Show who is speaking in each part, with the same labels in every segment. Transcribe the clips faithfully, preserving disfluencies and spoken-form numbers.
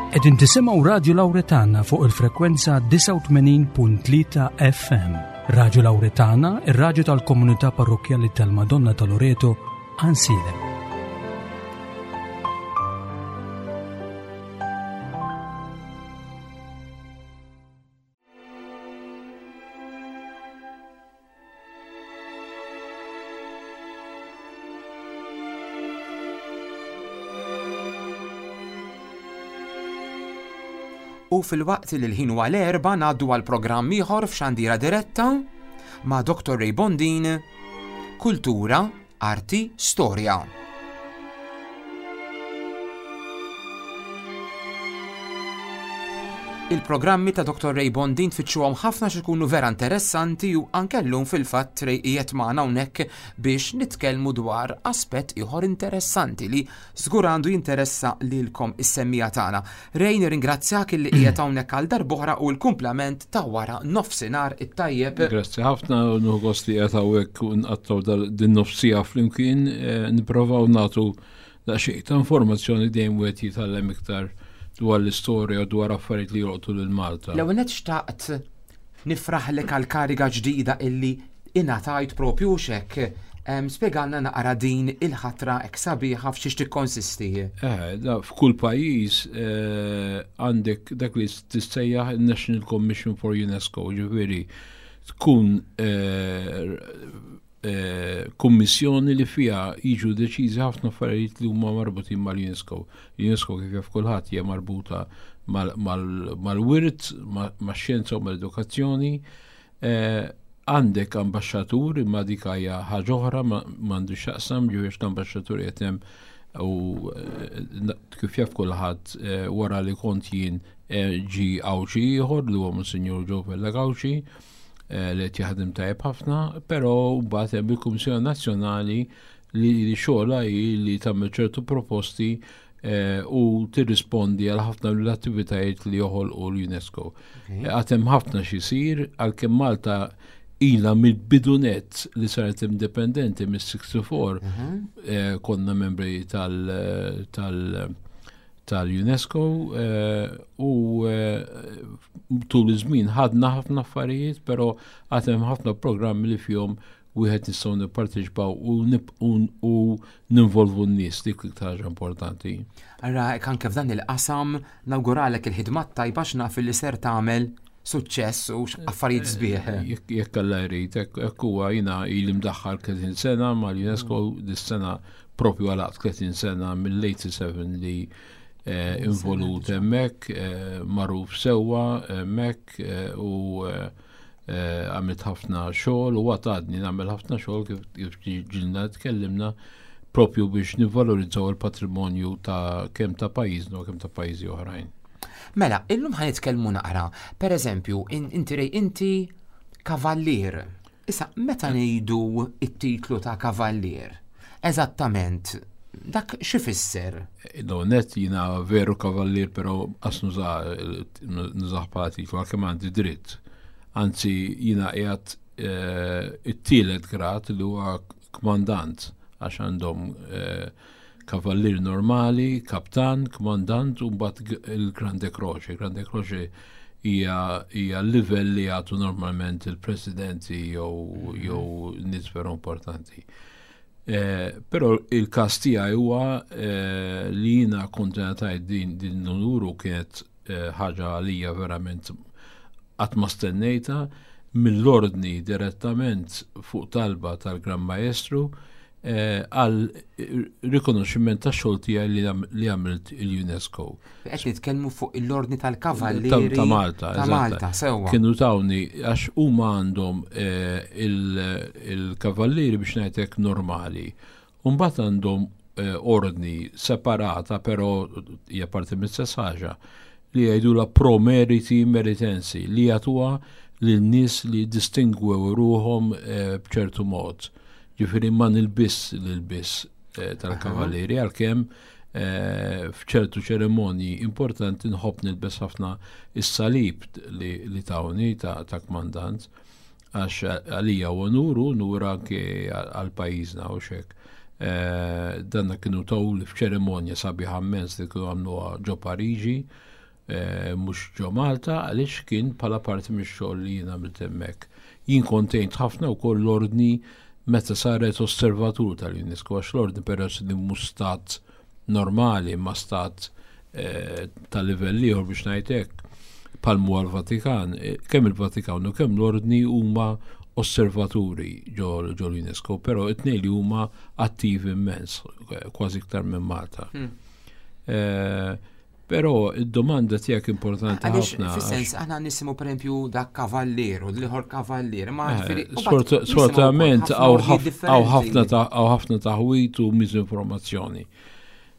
Speaker 1: Qegħdin tisimgħu Radio Lauretana fuq il-frekwenza disgħa u tmenin punt tlieta F M. Radio Lauretana, ir-radju tal-komunità parrokkjali tal-Madonna ta' Loreto, Għajnsielem.
Speaker 2: U fil-waqt li l-ħin huwa l-erba' ngħaddu għal programm ieħor f'Xandira Diretta ma' Doktor Ray Bondin, Kultura, Arti, Storja. Il-programmi ta' Doktor Ray Bondin tfittxuhom ħafna xi jkunu vera interessanti u anke llum fil-fatt Ray qiegħed magħna hawnhekk biex nitkellmu dwar aspett ieħor interessanti li żgur għandu jinteressa lilkom is-semmija tagħna. Ray, nirringrazzjak illi qiegħed hawnhekk għal darb'oħra u l-kumplament ta' wara nofsinhar it-tajjeb.
Speaker 3: Grazzi ħafna, nieħu gost li qiegħed hawnhekk u nqattgħu dal-, din nofsija flimkien, eh, nipprovaw nagħtu daqsxejn ta' informazzjoni dejjem wieħed jitgħallem iktar dwar l-istorja u dwar affarijiet li jolqtu lil Malta.
Speaker 2: L-ewwel nett xtaqt nifraħlek għal kariga ġdida illi ingħatajt propju xek. Em, spjegalna naqra din il-ħatra hekk sabiħa f'xiex tikkonsisti.
Speaker 3: Eh, da, f'kull pajjiż, eh, għandek dak li tissejjaħ il-National Commission for UNESCO, ġifieri tkun, eh, eh, kummissjoni li fiha jiġu deċiżi ħafna affarijiet li huma marbutin mal-UNESCO. UNESCO kif jaf kulħadd hija marbuta mal-, mal-, mal-wirt, ma-, max-xjenza u mal-edukazzjoni. Eh, għandek ambaxxatur, imma dik hija ħaġa oħra, ma-, m'għandu x'jaqsam, ġifieri l-ambaxxatur qed hemm u, eh, na-, kif jaf kulħadd, eh, wara li kont jien, eh, ġi Għawdxi ieħor li huwa Monsinjur Joe Vella Gauci, eh, li qed jaħdem tajjeb ħafna, però mbagħad hemm il-Kummissjoni Nazzjonali li, li xogħolha hi li tagħmel ċertu proposti, eh, u tirrispondi għal ħafna mill-attivitajiet li joħolqu l-UNESCO.
Speaker 2: Okay.
Speaker 3: Eh, għad hemm ħafna xi jsir, għalkemm Malta ilha mill-bidunet li saret indipendenti mis-sixty-four,
Speaker 2: Mhm.
Speaker 3: eh, konna membri tal-, tal-, tal-UNESCO, eh, u, eh, tul iż-żmien ħadna ħafna affarijiet, però għad hemm ħafna programmi li fihom wieħed nistgħu nipparteċipaw u nib-, u, u ninvolvu n-nies, dik l-iktar ħaġa importanti.
Speaker 2: Ara, hekk anke f'dan il-qasam nawguralek il-ħidma tajba x'naf li ser tagħmel suċċess u affarijiet sbieħ.
Speaker 3: Eh, jekk, jekk Alla jrid, hekk, hekk huwa jiena ili mdaħħal tletin sena mal-UNESCO, dis-sena propju għalaqt tletin sena mill-eighty-seven li, eh, involut hemmhekk, eh, magħruf sewwa hemmhekk, eh, u, eh, eh, għamilt ħafna xogħol u għadni nagħmel ħafna xogħol kif, kif ġilna tkellimna propju biex nivvalorizzaw il-patrimonju ta' kemm ta' pajjiżna u kemm ta' pajjiżi oħrajn.
Speaker 2: Mela, illum ħa nitkellmu naqra. Per eżempju, in-, inti Ray, inti kavallier. Issa, meta ngħidu it-titlu ta' kavallier, eżattament, dak x'ifisser?
Speaker 3: No, net jiena veru kavallier, però qas nuża-, nużah bħala titlu, għalkemm għandi dritt. Anzi, jiena qiegħed, eh, it-tielet grad li huwa kmandant, għax għandhom, eh, kavallier normali, kaptan, kmandant u mbagħad g-, il-Grande Croce. Grande Croce hija, hija l-livell li jagħtu normalment il-presidenti jew, jew nies veru importanti. Eh, però il-każ tiegħi huwa, eh, li jiena kont ngħatajt din, din l-onur u kienet, eh, ħaġa għalija verament qatt ma stennejta mill-ordni direttament fuq talba tal-Gran Maestru, eh, għal rikonoxximent ta' xogħol tiegħi li għam-, li għamilt il-UNESCO.
Speaker 2: Qed nitkellmu fuq l-ordni tal-Kavallieri
Speaker 3: Ta', ta' Malta,
Speaker 2: ta'
Speaker 3: eżatt.
Speaker 2: Malta, sewwa.
Speaker 3: Kienu tawni għax huma għandhom, eh, il-, il-kavallieri biex ngħidlek normali. U mbagħad għandhom, eh, ordni separata, però hija parti mill-istess ħaġa, li jgħidulha pro meriti meritensi, li jagħtuha lil nies li distingwew ruhom, eh, b'ċertu mod. Ġifieri ma nilbiss l-ilbiss, eh, tal-kavallieri, għalkemm, eh, f'ċertu ċerimonji importanti nħobb nilbes ħafna is-salib li, li tawni ta', ta' kmandant, għax għalija u onuru, nur anke għal pajjiżna u xek. Eh, danna kienu taw li f'ċerimonja sabiħa immens li kienu għamluha ġo Pariġi, eh, mhux ġo Malta, għaliex kien bħala parti mix-xogħol li jien għamilt hemmhekk. Jien kontejnt ħafna wkoll l-ordni meta saret osservatur tal-UNESCO, għax l-ordni peress li mhux stat normali ma stat eh, ta' livell ieħor biex ngħid hekk, palmu għal-Vatikan, eh, kemm il-Vatikan u kemm l-ordni huma osservaturi ġo l-UNESCO, però it-tnejn li huma attivi immens, kważi iktar minn Malta. Hmm. Eh, però id-domanda tiegħek importanti ħafna.
Speaker 2: Fis-sens aħna nisimgħu pereżempju dak kavallier u l-ieħor kavallier, ma
Speaker 3: eh, sfortunatament hawn ħafna taħwit u miżinformazzjoni.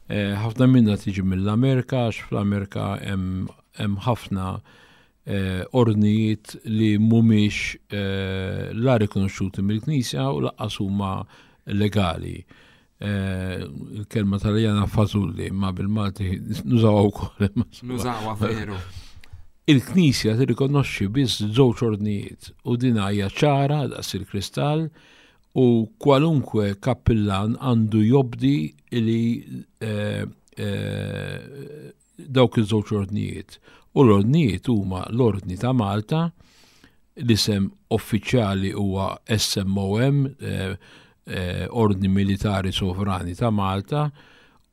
Speaker 3: Eh, ħafna minna tiġi mill-Amerika, għax fl-Amerika hemm ħafna eh, ordnijiet li mhumiex la rikonoxxuti mill-Knisja u lanqas huma legali. Eh, il-kelma taljana fażulli, ma bil-Malti nużawha wkoll.
Speaker 2: Nużawha veru.
Speaker 3: Il-Knisja tirrikonoxxi biss żewġ ordnijiet u din hija ċara daqs il-kristall u kwalunkwe kappillan għandu jobdi li eh, eh, dawk iż-żewġ ordnijiet. U l-ordnijiet huma l-Ordni ta' Malta, l-isem uffiċjali huwa S M O M, eh, eh, Ordni Militari Sovrani ta' Malta,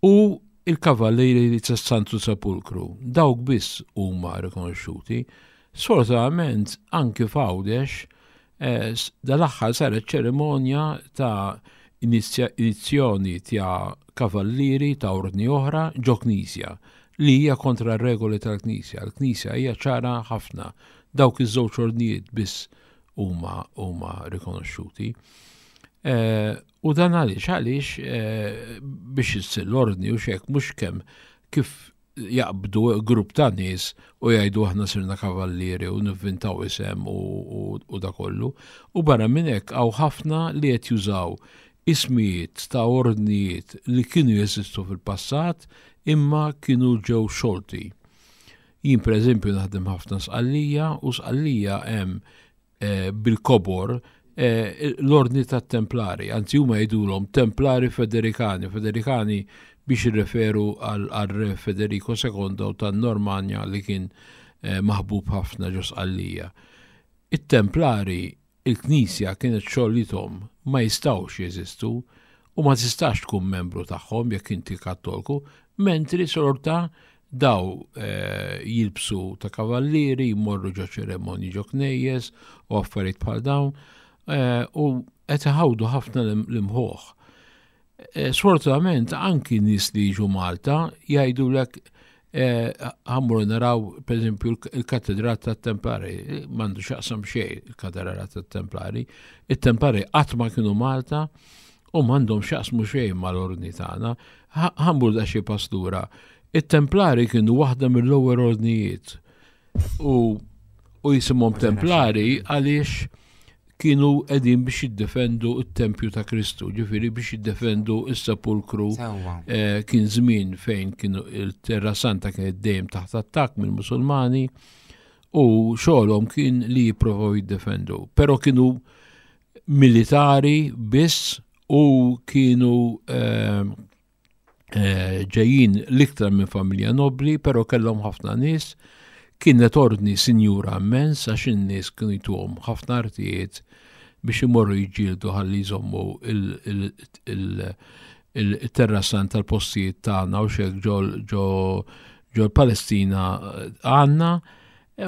Speaker 3: u il-Kavallieri ta' Santu Sepulkru. Dawk biss huma rikonoxxuti. Sfortunatament anki f'Għawdex eh, dal-aħħar saret ċerimonja ta' inizzjoni ta' kavallieri ta' ordni oħra ġo knisja li hija kontra regoli tal-Knisja. L-Knisja hija ċara ħafna. Dawk iż-żewġ ordnijiet biss huma huma rikonoxxuti. Eh, u dan għaliex għaliex eh, biex issir l-ordni u xek mhux kemm kif jaqbdu grupp ta' nies u jgħidu aħna sirna kavallieri u nivvintaw isem u, u, u da kollu. U barra minn hekk hawn ħafna li qed jużaw ismijiet ta' ordnijiet li kienu jeżistu fil-passat imma kienu ġew xolti. Jien, per eżempju, naħdem ħafna Sqallija u Sqallija hemm eh, bil-kobor eh, l-ordni tat-Templari, anzi huma jgħidulhom Templari Federikani, Federikani biex jirreferu għal re Federico sekondo tan-Normanja li kien eh, maħbub ħafna ġo Sqallija. It-Templari, il-Knisja kienet xollitom, ma jistawx jeżistu u ma tistax tkun membru tagħhom jekk inti Kattolku, mentri sorta daw eh, jilbsu ta' kavallieri, jmorru ġo ċeremonji ġo knejjes u affarijiet bħal dawn eh, u qed iħawdu ħafna l-imħuħ. Eh, sfortunatament anki nies li jiġu Malta jgħidulek ħa mmorru naraw, per eżempju, il-katedral tat-Templari, m'għandu x'jaqsam xejn il-katedral tat-Templari. Il-Templari qatt ma kienu Malta u m'għandhom x'jaqsmu xejn mal-ordni tagħna. Ħa mmur daqsxejn pass lura. Il-Templari kienu waħda mill-ewwel ordnijiet u u jisimhom Templari għaliex kienu qegħdin biex jiddefendu il-tempju ta' Kristu, ġifieri biex jiddefendu il-sepulkru. Eh, kien żmien fejn kienu il-Terra Santa kienet dejjem taħt attakk mill-Musulmani u xogħolhom kien li jipprovaw jiddefendu. Però kienu militari biss u kienu eh, eh, ġejjin l-iktar minn familja nobli, però kellhom ħafna nies. Kienet ordni sinjura immens għax in-nies kienu jtuhom ħafna artijiet biex imorru jiġġieldu ħalli jżommu il-Terra Santa tal-postijiet tagħna u xek ġo ġol-Palestina għandna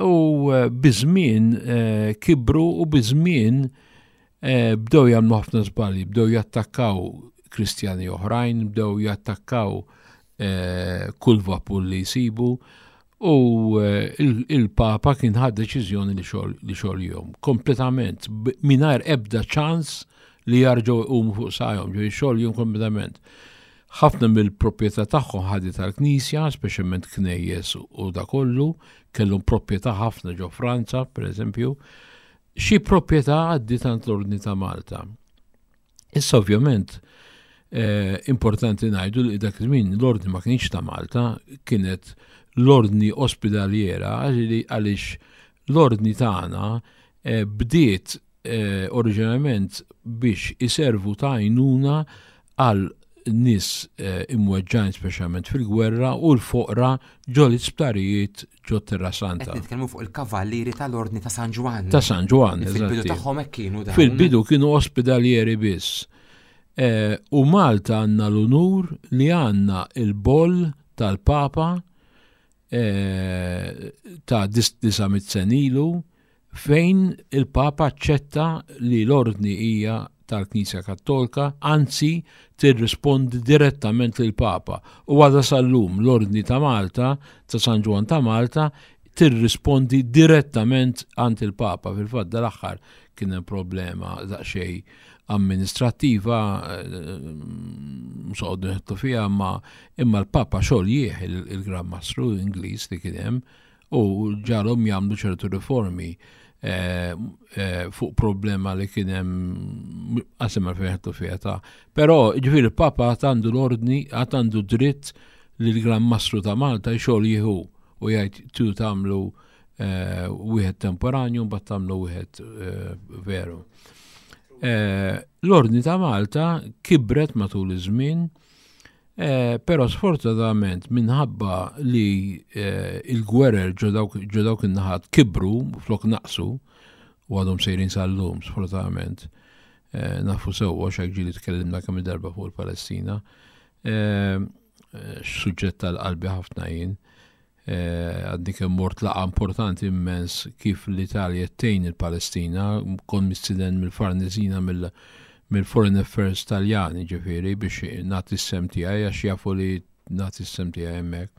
Speaker 3: u eh, biż-żmien eh, kibru u biż-żmien eh, bdew jagħmlu ħafna żbalji, bdew jattakkaw Kristjani oħrajn, bdew jattakkaw kull vapur li jsibu u il-Papa kien ħad deċiżjoni li xogħol kompletament mingħajr ebda ċans li jarġgħu jqumu fuq saqajhom, ġo xogħol kompletament. Ħafna mill-proprjetà tagħhom ħadet tal-Knisja, speċjalment knejjes u da kollu, kellhom proprjetà ħafna ġo Franza, per eżempju, xi proprjetà għaddiet għand l-Ordni ta' Malta. Issa ovvjament eh, importanti ngħidu li dak iż-żmien l-Ordni ma kienx ta' Malta, kienet l-Ordni Ospedaliera, għaliex l-ordni tagħna eh, bdiet eh, oriġinarjament biex iservu ta' għajnuna għal nies eh, imweġġajn speċjalment fil-gwerra u l-foqra ġo l-isptarijiet ġo Terra Santa.
Speaker 2: Qed nitkellmu fuq il-kavallieri tal-Ordni ta' San Ġwann.
Speaker 3: Ta' San Ġwann,
Speaker 2: Fil-bidu tagħhom hekk kienu dawn.
Speaker 3: Fil-bidu kienu ospedalieri biss. Eh, u Malta għandna l-unur li għandna il-boll tal-Papa eh, ta' disa' mitt sena ilu fejn il-Papa aċċetta li l-ordni hija tal-Knisja Kattolika, anzi tirrispondi direttament lil Papa. U għadha sal-lum l-Ordni ta' Malta, ta' San Ġwann ta' Malta, tirrispondi direttament għand il-Papa. Fil-fatt dal-aħħar kien hemm problema daqsxejn amministrattiva, msoqdu nħettu fiha, ma imma l-Papa xoljih il-Gran Mastru Ingliż li kien hemm u ġagħalhom jagħmlu ċertu riformi eh, eh, fuq problema li kien hemm qasem fejn ħettu fiha ta'. Però ġifieri il-Papa għad għandu l-ordni, għad għandu dritt li l-Gran Mastru ta' Malta jxoljihu u jgħid tu tagħmlu eh, wieħed temporanju mbagħad tagħmlu wieħed veru. L-Ordni ta' Malta kibret matul iż-żmien, però sfortunatament minħabba li il-gwerer ġo dawk in-naħat kibru flok naqsu u għadhom sejrin sal-lum sfortunatament. Nafu sewwa x'hekk ġieli tkellimna kemm darba fuq il-Palestina. Suġġett tal-qalbi ħafna jien. Għadni kemm mort laqgħa importanti immens kif l-Italja tgħin il-Palestina, kon mistieden mill-Farnesina mill-Foreign Affairs Taljani ġifieri biex nagħti s-sehem tiegħi għax jafu li nagħti s-sehem tiegħi hemmhekk.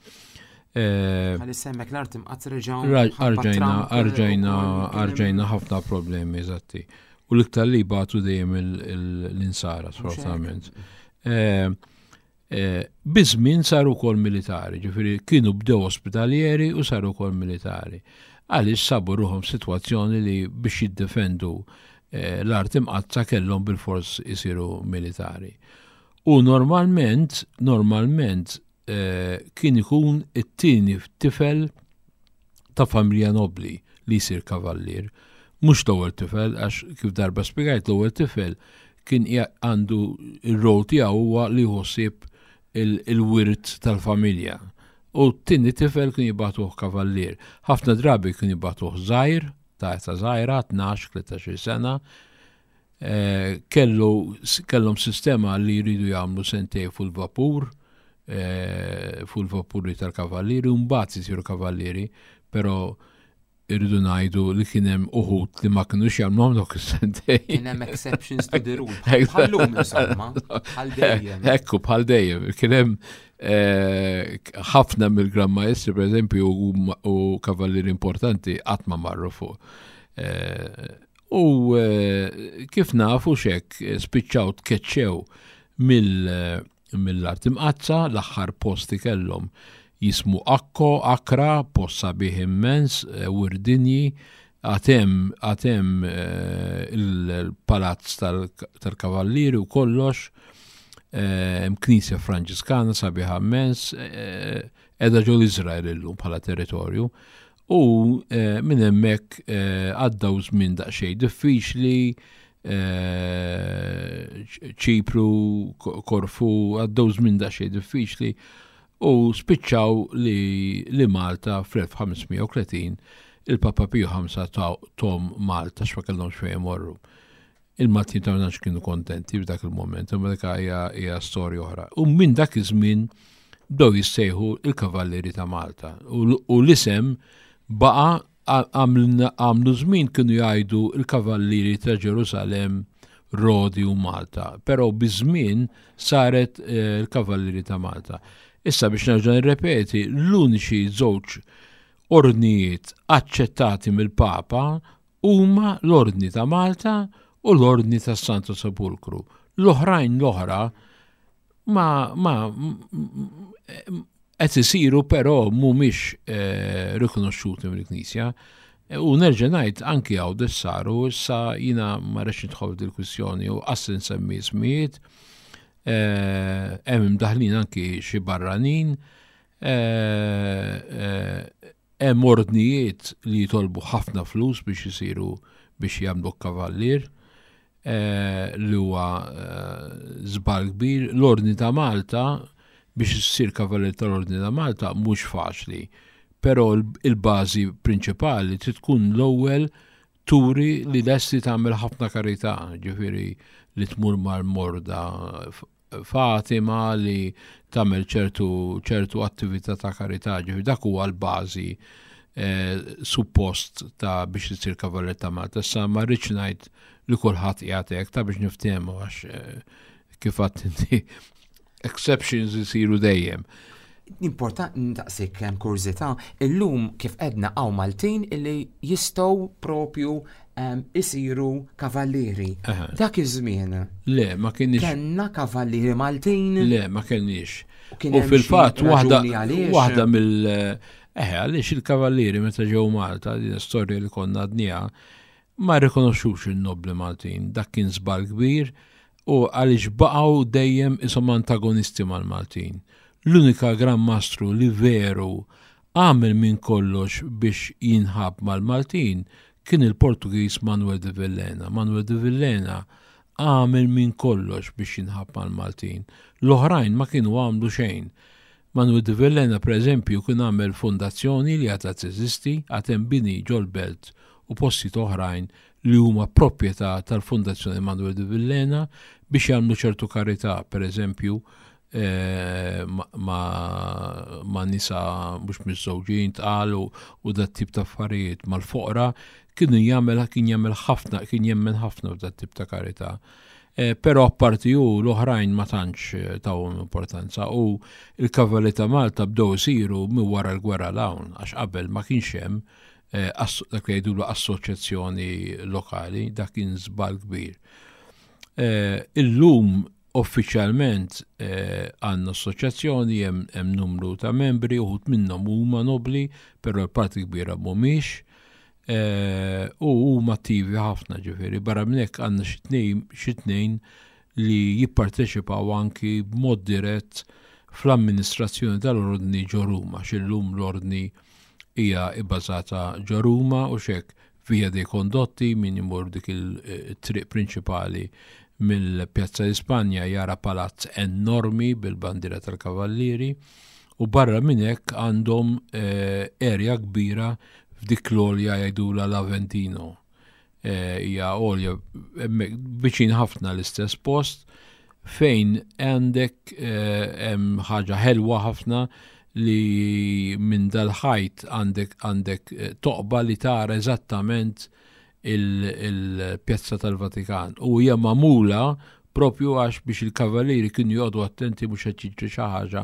Speaker 2: Għalli semmek l-art imqatt reġgħu
Speaker 3: Arġajna, arġajna, arġajna ħafna problemi, eżatti. U l-iktar li batu dejjem l-insara, sfortunatament. Biż-żmien saru wkoll militari, ġifieri kienu bdew ospitalieri u saru wkoll militari. Għaliex sabu ruħhom sitwazzjoni li biex jiddefendu l-art imqatta kellhom bilfors isiru militari. U normalment, normalment kien ikun it-tieni tifel ta' familja nobli li jsir kavallier. Mhux l-ewwel tifel, għax kif darba spjegajt l-ewwel tifel kien għandu il-rol tiegħu huwa li jħossib il-wirt tal-familja. U t-tieni tifel kien jibagħtuh kavallier. Ħafna drabi kien jibagħtuh żgħir, ta' età żgħira, tnax, tlettax-il sena. Kellu kellhom sistema li jridu jagħmlu sentej fuq il-vapur, fuq il-vapuri tal-kavallieri, u mbagħad isiru kavallieri, però irridu ngħidu li kien hemm uħud li ma kinux jagħmluhom dawk is-sentejn.
Speaker 2: Kien hemm exceptions to the rule. Bħallum insomma, bħal dejjem.
Speaker 3: Ekku, bħal dejjem. Kien hemm ħafna mill-Gran Maestri, pereżempju, u kavallieri importanti qatt ma marru fuq. U kif nafu xek spiċċaw tkeċċew mill-art imqazza, l-aħħar posti kellhom jismu Akko, Akra, post sabiħ immens, Wirdinji, għatem, għatem il-palazz tal-kavallieri u kollox, hemm knisja Franġiskana sabiħa immens, qiegħda ġol Iżrael illum bħala territorju, u minn hemmhekk għaddew żmien daqsxejn diffiċli, Ċipru, Korfu, għaddew żmien daqsxejn diffiċli, u spiċċaw li, li Malta fl-elf ħames mija u tletin il-Papa Piju ħamsa tom Malta x'ma kellhomx fejn imorru. Il-Maltin ta' ma kienu kontenti f'dak il-moment, imma dik hija, hija storja oħra. U minn dak iż-żmien bdew jissejħu il-Kavallieri ta' Malta. U, u l-isem baqa' għamlu żmien kienu jgħidu il-Kavallieri ta' Ġerusalemm, Rodi u Malta, però biż-żmien saret il-Kavallieri ta' Malta. Issa biex nerġa' nirrepeti, l-uniċi żewġ ordnijiet aċċettati mill-Papa huma l-Ordni ta' Malta u l-Ordni tas Santo Sepulkru. L-oħrajn l-oħra ma, ma qed isiru però mhumiex eh, rikonoxxuti mill-Knisja. U nerġa' ngħid anki Għawdex saru, issa jiena ma rridx nidħol f'dil-kwistjoni u qas nsemmi ismijiet. Hemm imdaħlin anki xi barranin, hemm ordnijiet li jitolbu ħafna flus biex isiru biex jagħmlu kavallier. eh, li huwa eh, żball kbir. L-Ordni ta' Malta, biex issir kavallier tal-Ordni ta' Malta mhux faċli, però il-bażi prinċipali trid tkun l-ewwel turi li lesti tagħmel ħafna karità, ġifieri li tmur mal-morda Fatima, li tagħmel ċertu ċertu attività ta' karità, ġifieri dak huwa l-bażi eh, suppost ta' biex isir kavallier ta' Malta. Issa ma rridx ngħid li kulħadd qiegħed hekk ta' biex niftehmu, għax eh, kif għedt inti, exceptions isiru dejjem.
Speaker 2: Importanti ntaqsik, hemm kurżità, illum kif edna hawn Maltin illi jistgħu propju em, isiru kavallieri.
Speaker 3: Aha.
Speaker 2: Dak iż-żmien
Speaker 3: Le, ma kienx.
Speaker 2: Kellna kavallieri Maltin?
Speaker 3: Le, ma kenniex.
Speaker 2: U kien
Speaker 3: U
Speaker 2: hemm xi
Speaker 3: fil-fatt waħda
Speaker 2: raġuni għaliex?
Speaker 3: Waħda mill eh għaliex il-kavallieri meta ġew Malta, din storja li konna għednieha, ma rikonoxxux il-nobli Maltin. Dak kien żball kbir u għaliex baqgħu dejjem isom antagonisti mal-Maltin. L-unika Gran Mastru li veru għamel minn kollox biex jinħab mal-Maltin kien il-Portugiż Manuel de Villena. Manuel de Villena għamel minn kollox biex jinħab mal-Maltin. L-oħrajn ma kienu għamlu xejn. Manuel de Villena, per eżempju, kien għamel fondazzjoni li għadha teżisti, għad hemm bini ġol-belt u postijiet oħrajn li huma proprjetà tal-Fondazzjoni Manuel de Villena biex jagħmlu ċertu karità, per eżempju, eh, ma, ma, ma nisa mhux miżżewġin tqal u, u dat tip ta' affarijiet mal-foqra, kienu jagħmel kien jagħmel ħafna, kien jemmen ħafna f'dat tip ta' karità. Eh, però apparti ju l-oħrajn ma tantx eh, tawhom importanza u il-Kavalli ta' Malta bdew isiru minn wara l-gwerra 'l hawn, għax qabel ma kienx hemm eh, asso- dak li jgħidulu assoċjazzjoni lokali, dak kien żball kbir. Eh, Illum uffiċjalment eh, għandna assoċjazzjoni, hemm hemm numru ta' membri, uħud minnhom huma nobli, però l-parti kbira mhumiex. Eh, u huma attivi ħafna, ġifieri, barra minn hekk għandna xi tnejn xi tnejn li jipparteċipaw anki b'mod dirett fl-amministrazzjoni tal-ordni ġo Ruma, x'illum l-ordni hija ibbażata ġo Ruma u xek Via dei Condotti, min imur dik il-triq prinċipali mill-Pjazza Ispanja jara palazz enormi bil-bandiera tal-Kavallieri, u barra minn hekk għandhom eh, area kbira f'dik l-għolja jgħidula l-Aventino. Eh, Hija għolja hemmhekk viċin ħafna l-istess post fejn għandek eh, hemm ħaġa ħelwa ħafna li minn dal-ħajt għandek għandek eh, toqba li tara eżattament il-pjazza tal-Vatikan. U hija magħmula propju għax biex il-kavallieri kienu joqogħdu attenti mhux qed jiġri xi ħaġa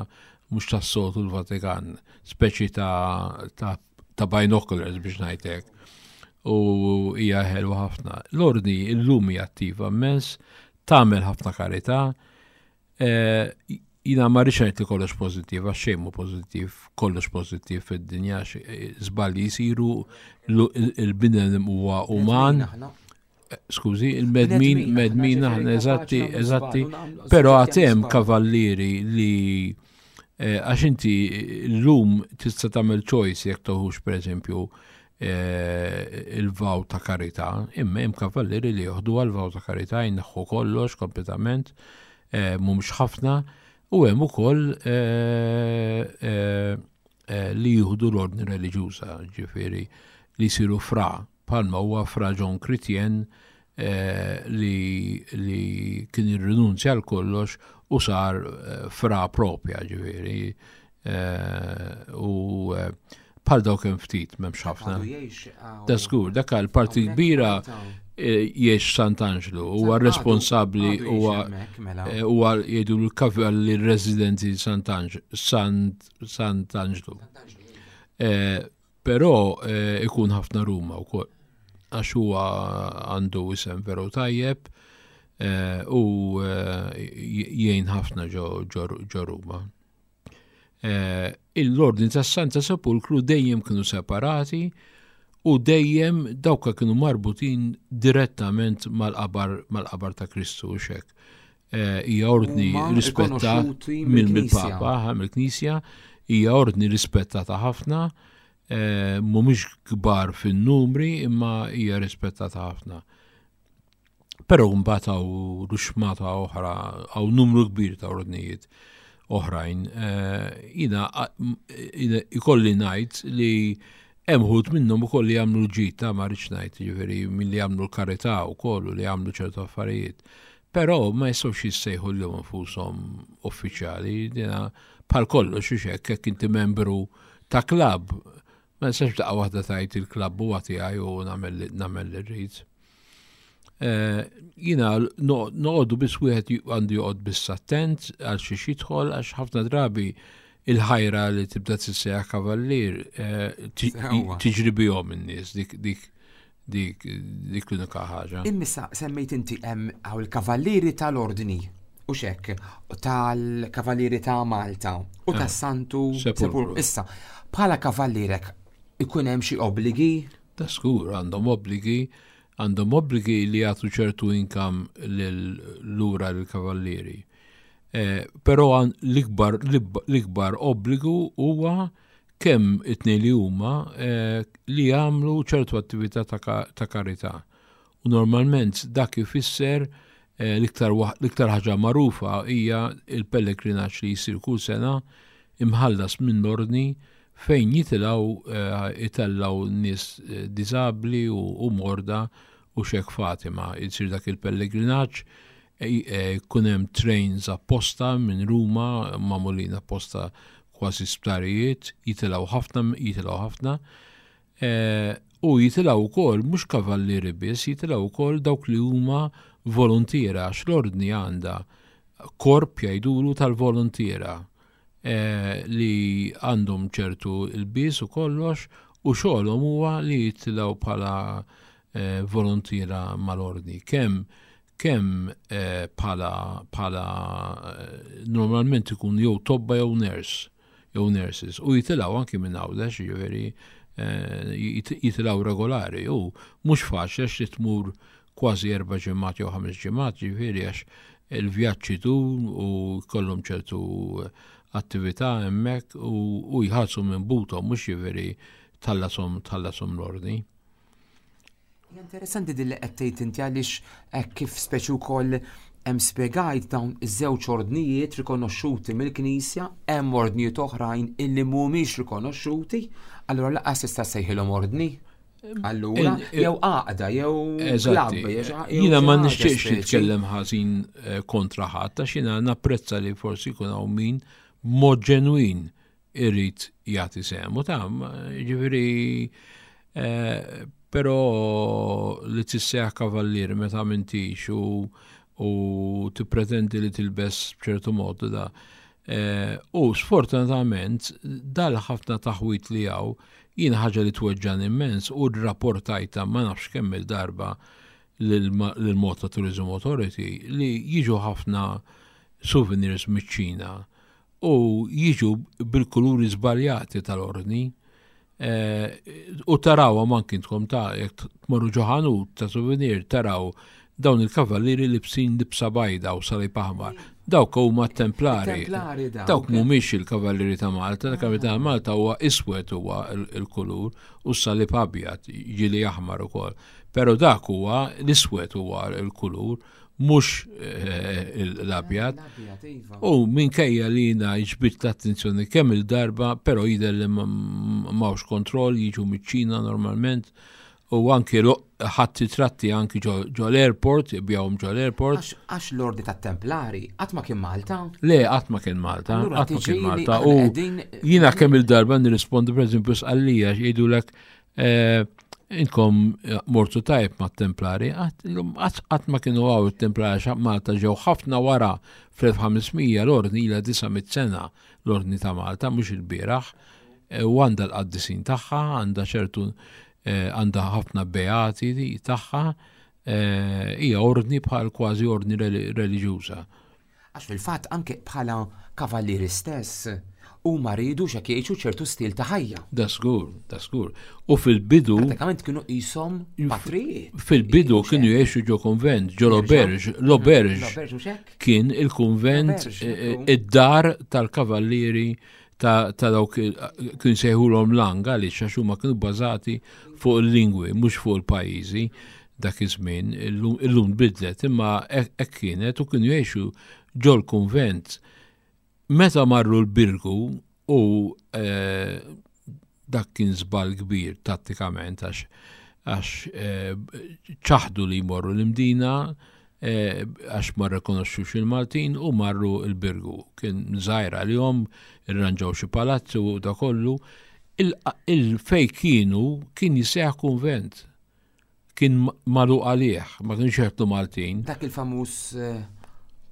Speaker 3: mhux tas-soltu l-Vatikan, speċi ta' ta' ta' binoculars biex ngħidlek. U hija ħelwa ħafna. L-ordni illum hija attiva immens, tagħmel ħafna karità. Eh, Jina ma rridx ngħid li kollox pożittiv, għax xejn mhu pożittiv, kollox pożittiv fid-dinja, għax, eh, żbalji jsiru, il-bniedem huwa uman.
Speaker 2: Aħna.
Speaker 3: Skużi, il-bnedmin,
Speaker 2: Bnedmin,
Speaker 3: medmin
Speaker 2: aħna,
Speaker 3: aħna,
Speaker 2: ġifieri
Speaker 3: eżatti,
Speaker 2: kapaċi nagħmlu
Speaker 3: eżatti,
Speaker 2: żball u nagħmlu
Speaker 3: però
Speaker 2: żball.
Speaker 3: għad hemm kavallieri li eh, għax inti l-lum tista' tagħmel choice jekk toħux, per eżempju, eh, il-vow ta' karità, imma hemm kavallieri li joħdu għal-vow ta' karità, jneħħu kollox kompletament, eh, mhumiex ħafna, u hemm ukoll eh, eh, eh, li jieħdu l-ordni reliġjuża, ġifieri li jsiru fra, bħalma huwa Fra John Chrétien eh, li, li kien irrinunzja għal kollox u sar eh, fra propja, ġifieri. Eh, u eh, bħal dawk hemm ftit, m'hemmx ħafna.
Speaker 2: Għadu jgħix hawn-
Speaker 3: Da żgur, dak għal parti
Speaker 2: hawnhekk
Speaker 3: kbira
Speaker 2: Malta.
Speaker 3: eh, jgħix Sant'Anġlu, huwa
Speaker 2: Għadu-
Speaker 3: responsabbli
Speaker 2: għadu jgħix
Speaker 3: huwa
Speaker 2: hemmhekk, mela.
Speaker 3: eh, huwa jgħidu l-kavalli residenti Sant'Anġ- Sant Sant'Anġlu. Eh, Però eh, ikun ħafna Ruma wkoll għax huwa għandu isem veru tajjeb eh, u eh, jgħin ħafna ġo ġo- ġo Ruma. Eh, L-ordni tas Santa Sepulkru dejjem kienu separati u dejjem dawka kienu marbutin direttament mal-qabar mal-qabar ta' Kristu u xek. Eh, Hija ordni
Speaker 2: Huma
Speaker 3: rispettata
Speaker 2: rikonoxxuti
Speaker 3: mill-
Speaker 2: mill-Knisja.
Speaker 3: mill-Papa, mill-Knisja, hija ordni rispettata ħafna, eh, mhumiex kbar fin-numri imma hija rispettata ħafna. Però mbagħad hawn ruxmata oħra, hawn numru kbir ta' ordnijiet oħrajn. Eh, jiena ikolli ngħid li hemm uħud minnhom ukoll li jagħmlu l-ġid ta' ma rridx ngħid, jiġifieri milli jagħmlu l-karità wkoll u li jagħmlu ċertu affarijiet. Però ma jistgħux jissejħu lilhom infushom uffiċjali, dina bħal kollox u hekk jekk inti membru ta' klabb, ma nistax daqqa waħda tgħid il-klabb huwa tiegħi u nagħmel li rrid. Eh, jiena noqogħdu biss wieħed għandu joqgħod biss attent għal xi jidħol għax ħafna drabi il-ħajra li tibda tissejjaħ kavallier eh, tiġri bihom in-nies dik dik dik dik l-unika ħaġa.
Speaker 2: Immissa semmejt inti hemm hawn il-kavallieri tal-ordni u xek tal-kavallieri ta' Malta u eh, tas-Santu Sepulkru. Issa, bħala kavallierek ikun hemm xi obbligi?
Speaker 3: Ta' skur għandhom obbligi għandhom obbligi li jagħtu ċertu income lura lill-kavallieri. Eh, però l-ikbar l-ikbar obbligu huwa kemm it-tnejn li huma eh, li jagħmlu ċertu attività ta' karità. U normalment dak ifisser eh, l-iktar ħaġa magħrufa hija il-pellegrinaġġ li jsir kull sena imħallas minn l-ordni fejn jitilgħu itellaw nies diżabbli u morda u xek Fatima. Jsir dak il-pellegrinaġġ, jkun hemm trains apposta minn Ruma, magħmulin apposta kważi sptarijiet, jitilgħu ħafna, jitilgħu ħafna. U jitilgħu wkoll mhux kavallieri biss, jitilgħu wkoll dawk li huma volontiera, għax l-ordni għandha korp jgħidulu tal-volontiera li għandhom ċertu il-bis u kollox u xogħolhom huwa li jitilgħu bħala volontiera mal-ordni. Kemm kemm bħala bħala normalment ikun jew tobba jew nurse jew nurses u jitilgħu anki minn Għawdex, jiġifieri jitilgħu regolari u mhux faċli għax li tmur kważi erba' ġimgħat jew ħames ġimgħat, jiġifieri għax il-vjaġġ itul u jkollhom ċertu attività hemmhekk u jħallsu minn buthom mhux jiġifieri tħallasom tħallasom l-ordni.
Speaker 2: Interessanti din li qed tgħid inti għaliex kif speċi wkoll hemm spjegajt dawn iż-żewġ ordnijiet rikonoxxuti mill-Knisja, hemm ordnijiet oħrajn illi mhumiex rikonoxxuti, allura lanqas tista' sejħilhom ordni. Allura, jew għaqda, jew klabb.
Speaker 3: Jiena ma nixtieqx nitkellem ħażin kontra ħadd, għax jiena napprezza li forsi jkun hawn min b'mod ġenwin irid jagħti sehmu ta' jiġifieri però li tissejjaħ kavallier meta m'intix u u tippretendi li tilbes b'ċertu mod da. U sfortunatament dal-ħafna taħwit li hawn jien ħaġa li tweġġan immens u rrapportajta ma nafx kemm il-darba lil Malta Tourism Authority li jiġu ħafna souvenirs miċ-Ċina u jiġu bil-kuluri żbaljati tal-ordni. U taraw anki intkom ta' jekk tmorru ġo ħanut ta' souvenir taraw dawn il-kavallieri libsin libsa bajda u salib aħmar. Dawk huma templari. Dawk mhumiex il-kavallieri ta' Malta, il-kavallieri ta' Malta huwa iswed huwa il-kulur u s-salib abjad ġieli aħmar ukoll. Però dak huwa l-iswed huwa l-kulur mhux l-abjad. U minkejja li jiena ġbidt l-attenzjoni kemm il-darba, però jidher li m'hawnx kontroll, jiġu miċ-Ċina normalment u anki ħadd tratti anki ġo l-airport, jbigħuhom ġo l-airport.
Speaker 2: Għax l-ordi tat-Templari qatt ma kien Malta?
Speaker 3: Le, qatt ma kien Malta, qatt ma kien Malta. U jiena kemm il-darba nirrispondi pereżempju Sqallija jgħidulek intkom mortu tajb ma' templari, qatt ma kienu hawn it-templari għax Malta ġew ħafna wara fl-elf ħames mija l-ordni ilha disa' mitt sena l-ordni ta' Malta, mhux il-bieraħ, u għandha l-qaddisin tagħha, għandha ċertu għandha ħafna beati tagħha, hija ordni bħal kważi ordni reliġjuża.
Speaker 2: Għax fil-fatt anke bħala kavallieri stess huma riedu x'hekk jgħixu ċertu stil ta' ħajja.
Speaker 3: Da żgur, da żgur. U fil-bidu
Speaker 2: Pratikament kienu qishom patrijiet.
Speaker 3: Fil-bidu kienu jgħixu ġo konvent, ġo l-auberge, l-auberge kien il-konvent id-dar tal-kavallieri ta' dawk kien sejħulhom lang għaliex għax huma kienu bbażati fuq il-lingwi, mhux fuq il-pajjiżi. Dak iż-żmien, illum bidlet, imma hekk kienet u kienu jgħixu ġol-kunvent. Meta marru l-Birgu u eh, dak kien żball kbir tattikament għax għax eh, ċaħdu li jmorru l-Imdina eh, għax ma rrekonoxxux il-Maltin u marru l-Birgu. Kien żgħira li jom irranġaw xi palazzi u da kollu. Il-fej kienu kien jisejjaħ kunvent. Kien magħluq għalih, ma kienx jidħlu Maltin.
Speaker 2: Dak il-famuż eh,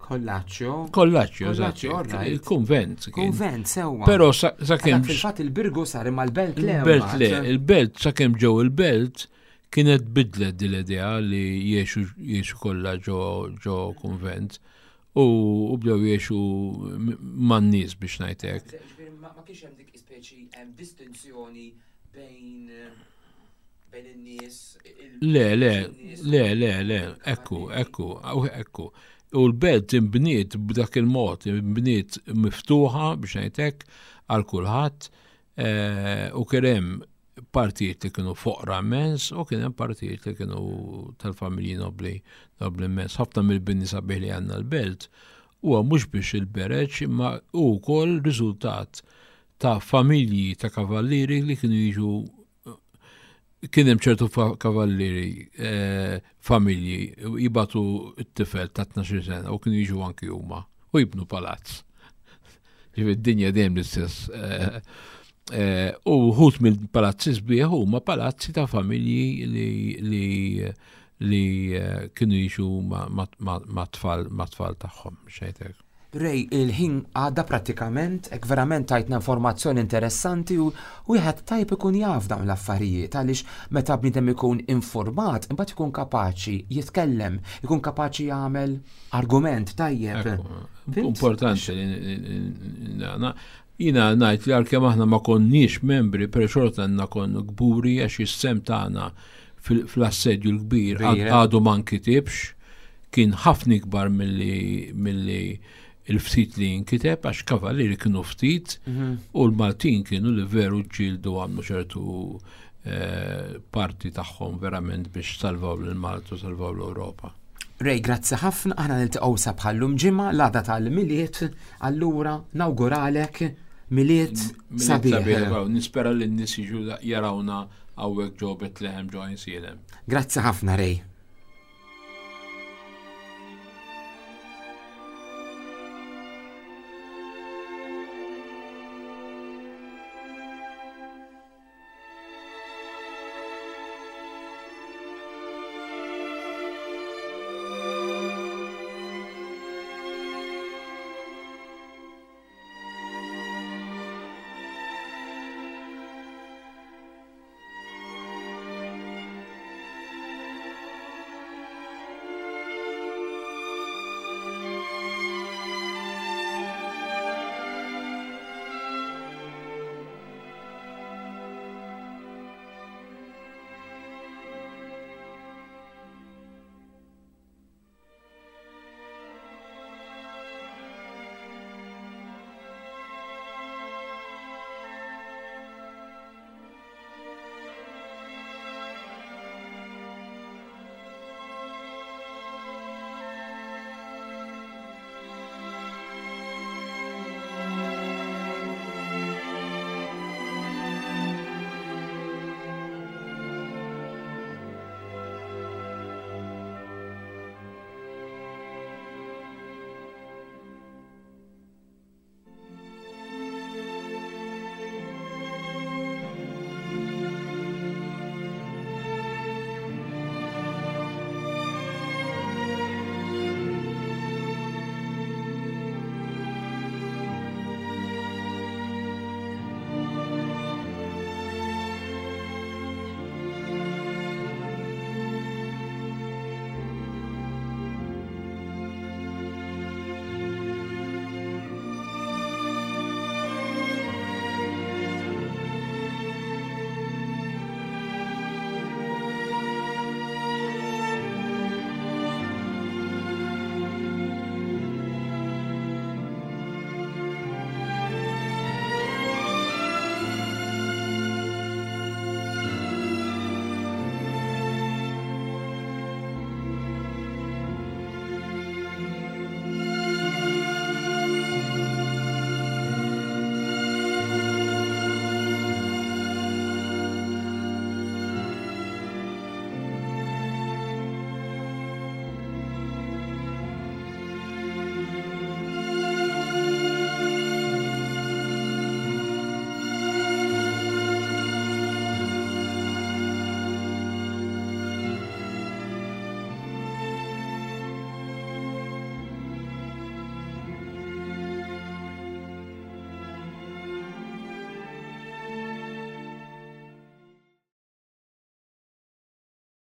Speaker 2: Kollaċċjo.
Speaker 3: Kollaċċjo, eżatt. Il-kunvent.
Speaker 2: Kunvent, sewwa.
Speaker 3: Però sakemm.
Speaker 2: Fil-fatt il-Birgu sar imma l-belt le.
Speaker 3: Il-belt le, il-belt sakemm ġew il-belt kienet bidlet din l-idea li jgħixu jgħixu kollha ġo ġo kunvent u u bdew jgħixu man-nies biex ngħidlek.
Speaker 2: Ma kienx hemm dik ispeċi hemm distinzjoni bejn bejn in-nies.
Speaker 3: Le, le, le, le, le, ekku, ekku, ekku. U l-belt imbniet b'dak il-mod, imbniet miftuħa biex ngħidlek għal kulħadd eh, u kien hemm partijiet li kienu foqra immens u kien hemm partijiet li kienu tal-familji nobli nobli immens. Ħafna mill-bini sabiħ li għandna l-belt huwa mhux biex il-bereġ imma hu wkoll riżultat ta' familji ta' kavallieri li kienu jiġu kien hemm ċertu kavallieri eh, familji jibagħtu t-tifel ta' tnax-il sena u kienu jiġu anki huma u jibnu palazz. Ġifieri d-dinja dejjem l-istess. Eh, eh, u wħud mill-palazzi sbieħ huma palazzi ta' familji li li li kienu jiġu ma' tfal ma' tfal tagħhom xejtek.
Speaker 2: Ray, il-ħin għadda prattikament, ek verament tajtna informazzjoni interessanti u wieħed tajb ikun jaf dawn l-affarijiet għaliex meta bniedem ikun informat, imbagħad ikun kapaċi jitkellem, ikun kapaċi jagħmel argument tajjeb.
Speaker 3: Importanti li jiena ngħid li għalkemm aħna ma konniex membri, però xorta għandna konna kburi għax is-sehem tagħna fl-assedju l-kbir għadu ma nkitibx, kien ħafna ikbar milli il-ftit li nkiteb għax kavallieri kienu ftit mhm. u l-Maltin kienu li veru ġġieldu għamlu ċertu eh, parti tagħhom verament biex salvaw l-Malta u salvaw l-Ewropa.
Speaker 2: Ray, grazzi ħafna, aħna niltaqgħu sa bħallum ġimgħa l-għada tal-Milied, allura nawguralek Milied sabiħ.
Speaker 3: Nispera li n-nies jiġu jarawna hawnhekk ġo Betlehem ġo Għajnsielem.
Speaker 2: Grazzi ħafna, Ray.